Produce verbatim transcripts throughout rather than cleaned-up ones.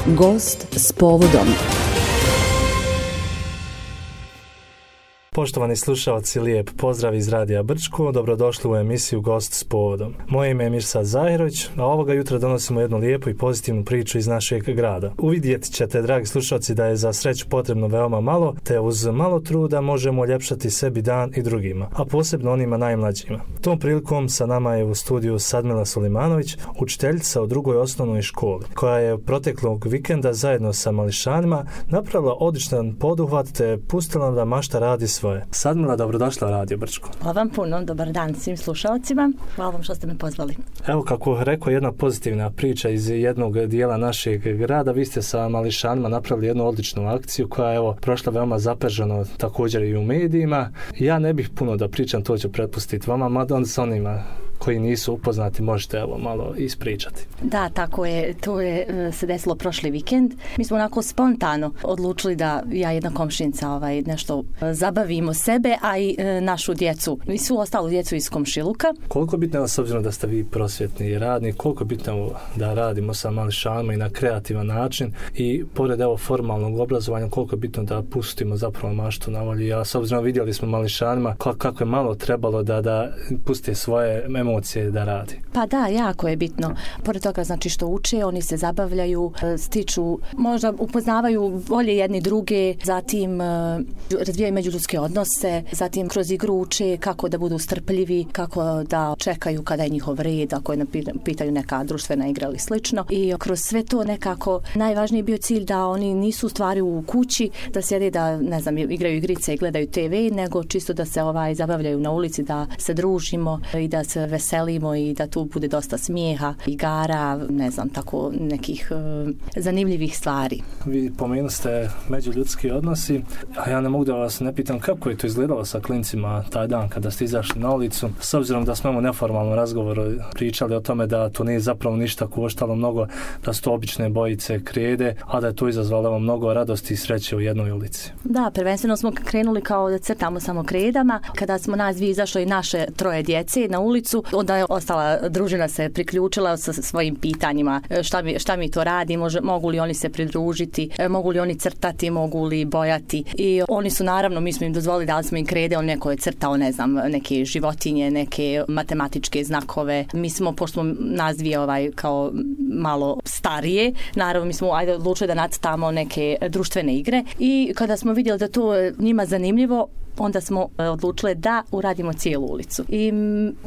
Gost s povodom. Poštovani slušalci, lijep pozdrav iz Radija Brčko, dobrodošli u emisiju Gost s povodom. Moje ime je Mirsad Zahirović, a ovoga jutra donosimo jednu lijepu i pozitivnu priču iz našeg grada. Uvidjet ćete, dragi slušalci, da je za sreću potrebno veoma malo, te uz malo truda možemo uljepšati sebi dan i drugima, a posebno onima najmlađima. Tom prilikom sa nama je u studiju Sadmila Sulimanović, učiteljica u drugoj osnovnoj školi, koja je proteklog vikenda zajedno sa mališanima napravila odličan poduhvat te pustila da mašta radi svoje. Sadmila, dobrodošla u Radio Brčko. Hvala vam puno, dobar dan svim slušalcima. Hvala vam što ste me pozvali. Evo, kako rekao, jedna pozitivna priča iz jednog dijela našeg grada. Vi ste sa mališanima napravili jednu odličnu akciju koja je evo prošla veoma zapaženo također i u medijima. Ja ne bih puno da pričam, to ću prepustiti vama, mada on sa onima koji nisu upoznati možete evo malo ispričati. Da, tako je, to je se desilo prošli vikend. Mi smo onako spontano odlučili da ja jedna komšinica ovaj, nešto zabavimo sebe, a i e, našu djecu i svu ostalu djecu iz komšiluka. Koliko bitno je s obzirom da ste vi prosvjetni radnik, koliko bitno je da radimo sa mališanima i na kreativan način i pored evo formalnog obrazovanja, koliko je bitno da pustimo zapravo maštu na volju. Ja s obzirom vidjeli smo mališanima kako je malo trebalo da, da puste svoje emocije da radi. Pa da, jako je bitno. Pored toga znači što uče, oni se zabavljaju, stiču, možda upoznavaju bolje jedni druge, zatim razvijaju međuljudske odnose, zatim kroz igru uče kako da budu strpljivi, kako da čekaju kada je njihov red, ako je pitaju neka društvena igra ili slično. I kroz sve to nekako najvažniji je bio cilj da oni nisu u stvari u kući, da sjede da, ne znam, igraju igrice i gledaju te ve, nego čisto da se ovaj zabavljaju na ulici, da se družimo i da se veselimo i da tu bude dosta smijeha, igara, ne znam, tako nekih uh, zanimljivih stvari. Vi pomenuli ste međuljudski odnosi, a ja ne mogu da vas ne pitam kako je to izgledalo sa klincima taj dan kada ste izašli na ulicu, s obzirom da smo u neformalnom razgovoru pričali o tome da to nije zapravo ništa koštalo mnogo, da su to obične bojice krede, a da je to izazvalo mnogo radosti i sreće u jednoj ulici. Da, prvenstveno smo krenuli kao da crtamo samo kredama. Kada smo nas dvije izašli naše troje djece na ulicu, onda je ostala družina se priključila sa svojim pitanjima. Šta mi, šta mi to radi? Može, mogu li oni se pridružiti? Mogu li oni crtati? Mogu li bojati? I oni su naravno, mi smo im dozvolili, dali smo im krede, on neko je crtao, ne znam, neke životinje, neke matematičke znakove. Mi smo, pošto smo nas dvije ovaj, kao malo starije, naravno mi smo ajde odlučili da nacrtamo neke društvene igre i kada smo vidjeli da to njima zanimljivo, onda smo odlučili da uradimo cijelu ulicu. I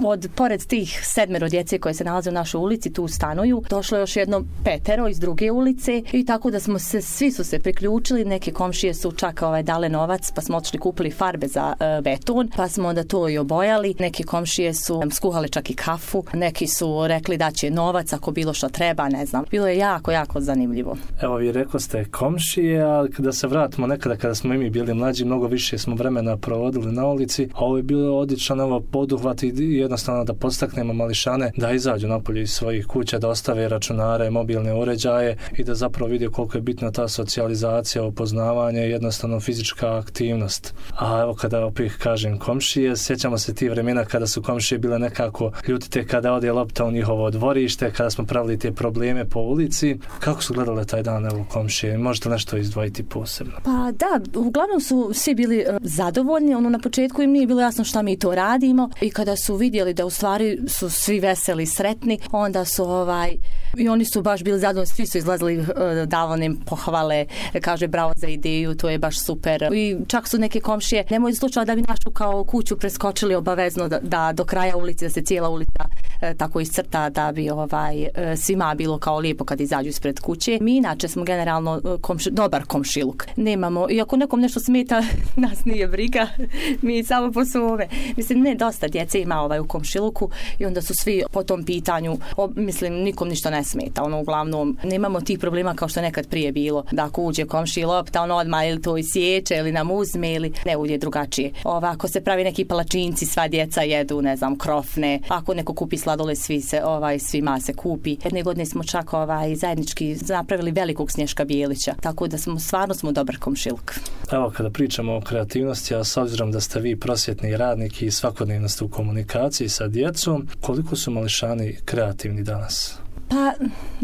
od pored tih sedmero djece koje se nalaze u našoj ulici, tu stanuju, došlo je još jedno petero iz druge ulice i tako da smo se, svi su se priključili, neke komšije su čak ovaj, dale novac, pa smo otišli kupili farbe za uh, beton, pa smo onda to i obojali. Neke komšije su skuhale čak i kafu, neki su rekli da će novac ako bilo što treba, ne znam. Bilo je jako, jako zanimljivo. Evo, vi rekao ste komšije, ali kada se vratimo nekada kada smo i mi bili mlađi, mnogo više smo vremena provodili na ulici, a ovo je bilo odličan evo poduhvat i jednostavno da podstaknemo mališane da izađu napolje iz svojih kuća, da ostave računare, mobilne uređaje i da zapravo vidi koliko je bitna ta socijalizacija, upoznavanje i jednostavno fizička aktivnost. A evo kada opet kažem komšije, sjećamo se ti vremena kada su komšije bile nekako ljutite kada ode lopta u njihovo dvorište, kada smo pravili te probleme po ulici. Kako su gledale taj dan evo komšije? Možete nešto izdvojiti posebno? Pa da, uglavnom su svi bili uh, zadovoljni. Ono na početku im nije bilo jasno šta mi to radimo i kada su vidjeli da u stvari su svi veseli i sretni, onda su ovaj i oni su baš bili zadovoljni, svi su izlazili uh, davali im pohvale, kaže bravo za ideju, to je baš super. I čak su neke komšije, nemoj slučajno da bi našu kao kuću preskočili obavezno da, da do kraja ulice, da se cijela ulica uh, tako iscrta da bi ovaj uh, svima bilo kao lijepo kad izađu ispred kuće. Mi inače smo generalno uh, komši, dobar komšiluk. Nemamo, i ako nekom nešto smeta, nas nije briga. Mi samo po svome. Mislim, ne, dosta djece ima ovaj u komšiluku i onda su svi po tom pitanju, o, mislim, nikom ništa ne smeta. Ono, uglavnom, nemamo tih problema kao što nekad prije bilo. Da ako uđe komši lopta, on odmah ili to isječe ili nam uzme ili ne uđe drugačije. Ovako se pravi neki palačinci, sva djeca jedu, ne znam, krofne. Ako neko kupi sladole, svi se, ovaj, svima se kupi. Jedne godine smo čak ovaj, zajednički napravili velikog Snješka Bijelića. Tako da smo, stvarno smo dobar komšiluk. Evo, kada pričamo o kreativnosti, a s obzirom da ste vi prosvjetni radnik i svakodnevno ste u komunikaciji sa djecom, koliko su mališani kreativni danas? Pa,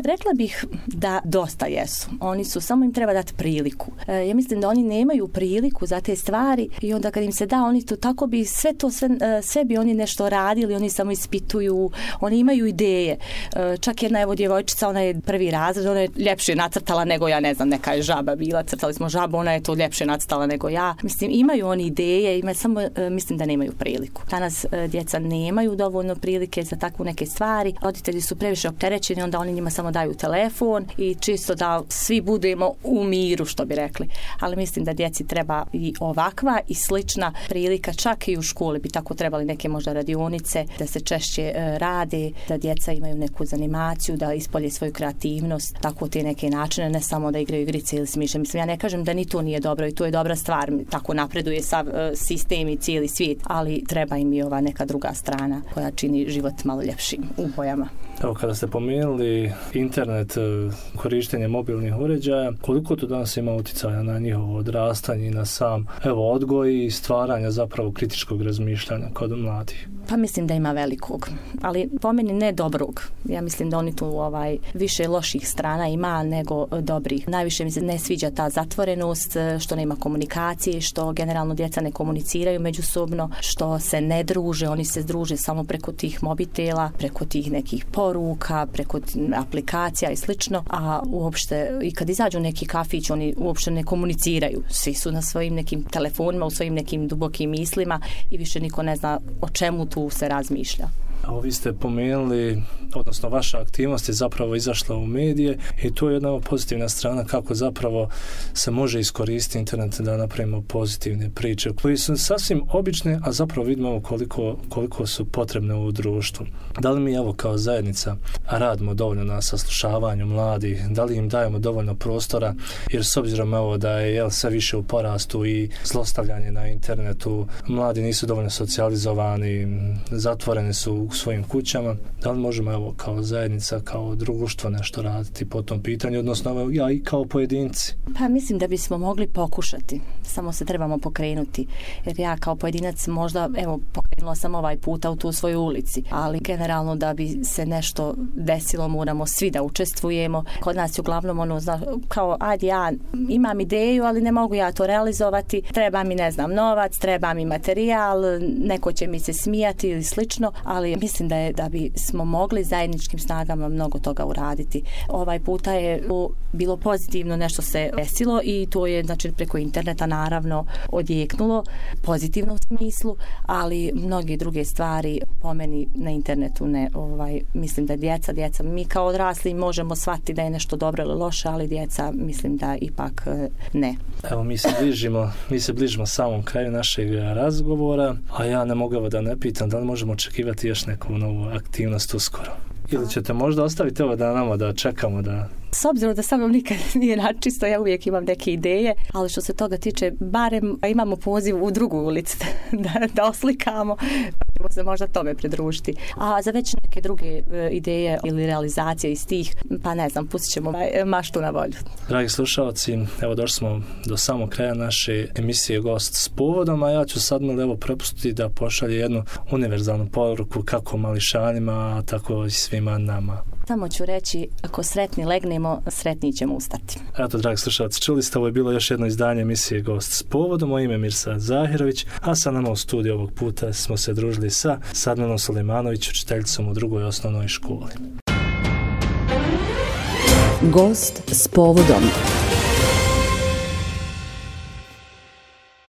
rekla bih da dosta jesu. Oni su, samo im treba dati priliku. E, ja mislim da oni nemaju priliku za te stvari i onda kad im se da, oni to tako bi sve to, sve, sve bi oni nešto radili, oni samo ispituju, oni imaju ideje. E, čak jedna evo djevojčica, ona je prvi razred, ona je ljepše nacrtala nego ja, ne znam, neka je žaba bila, crtali smo žabu, ona je to ljepše nacrtala nego ja. Mislim, imaju oni ideje, ima, samo e, mislim da nemaju priliku. Danas e, djeca nemaju dovoljno prilike za takvu neke stvari. Roditelji su previše opterećeni, onda oni njima samo daju telefon i čisto da svi budemo u miru, što bi rekli. Ali mislim da djeci treba i ovakva i slična prilika, čak i u školi bi tako trebali neke možda radionice, da se češće e, rade, da djeca imaju neku zanimaciju, da ispolje svoju kreativnost, tako te neke načine, ne samo da igraju igrice ili smišlje. Mislim, ja ne kažem da ni to nije dobro i to je dobra stvar, tako napreduje sav e, sistem i cijeli svijet, ali treba im i ova neka druga strana koja čini život malo ljepšim u bojama. Evo, kada ste pomenuli internet, korištenje mobilnih uređaja, koliko to danas ima utjecaja na njihovo odrastanje i na sam evo, odgoj i stvaranja zapravo kritičkog razmišljanja kod mladih? Pa mislim da ima velikog, ali po meni ne dobrog. Ja mislim da oni tu ovaj, više loših strana ima nego dobrih. Najviše mi se ne sviđa ta zatvorenost, što nema komunikacije, što generalno djeca ne komuniciraju međusobno, što se ne druže, oni se druže samo preko tih mobitela, preko tih nekih poruka, preko aplikacija i slično, a uopšte i kad izađu neki kafić, oni uopšte ne komuniciraju. Svi su na svojim nekim telefonima, u svojim nekim dubokim mislima i više niko ne zna o čemu tu se razmišlja. Evo, vi ste pomenuli, odnosno vaša aktivnost je zapravo izašla u medije i to je jedna pozitivna strana kako zapravo se može iskoristiti internet da napravimo pozitivne priče koje su sasvim obične, a zapravo vidimo koliko, koliko su potrebne u društvu. Da li mi evo kao zajednica radimo dovoljno na saslušavanju mladih, da li im dajemo dovoljno prostora, jer s obzirom evo da je jel, sve više u porastu i zlostavljanje na internetu, mladi nisu dovoljno socijalizovani, zatvoreni su u svojim kućama, da li možemo evo kao zajednica, kao društvo nešto raditi po tom pitanju, odnosno evo, ja i kao pojedinci? Pa mislim da bismo mogli pokušati, samo se trebamo pokrenuti, jer ja kao pojedinac možda, evo, pokrenula sam ovaj puta u tu svojoj ulici, ali generalno da bi se nešto desilo moramo svi da učestvujemo. Kod nas je uglavnom ono, zna, kao, ajde ja imam ideju, ali ne mogu ja to realizovati, treba mi, ne znam, novac, treba mi materijal, neko će mi se smijati ili slično, ali mislim da je da bi smo mogli zajedničkim snagama mnogo toga uraditi. Ovaj puta je bilo pozitivno, nešto se desilo i to je znači preko interneta naravno odjeknulo pozitivno u smislu, ali mnoge druge stvari po meni na internetu ne, ovaj, mislim da djeca, djeca, mi kao odrasli možemo shvatiti da je nešto dobro ili loše, ali djeca mislim da ipak ne. Evo mi se bližimo, mi se bližimo samom kraju našeg razgovora, a ja ne mogu da ne pitam da li možemo očekivati još neku novu aktivnost uskoro. Ili ćete možda ostaviti ovo da nama da čekamo da... S obzirom da sa mnom nikad nije načisto, ja uvijek imam neke ideje, ali što se toga tiče, barem imamo poziv u drugu ulicu da, da oslikamo, pa ćemo se možda tome pridružiti. A za već neke druge ideje ili realizacije iz tih, pa ne znam, pustit ćemo maštu na volju. Dragi slušalci, evo došli smo do samog kraja naše emisije Gost s povodom, a ja ću sad mi evo prepustiti da pošalje jednu univerzalnu poruku kako mališanima, tako i svima nama. Samo ću reći, ako sretni legnemo, sretni ćemo ustati. Eto, dragi slušalci, čuli ste, ovo je bilo još jedno izdanje emisije Gost s povodom. Moje ime je Mirsad Zahirović, a sa nama u studiju ovog puta smo se družili sa Sadmanom Sulemanović, učiteljicom u drugoj osnovnoj školi. Gost s povodom.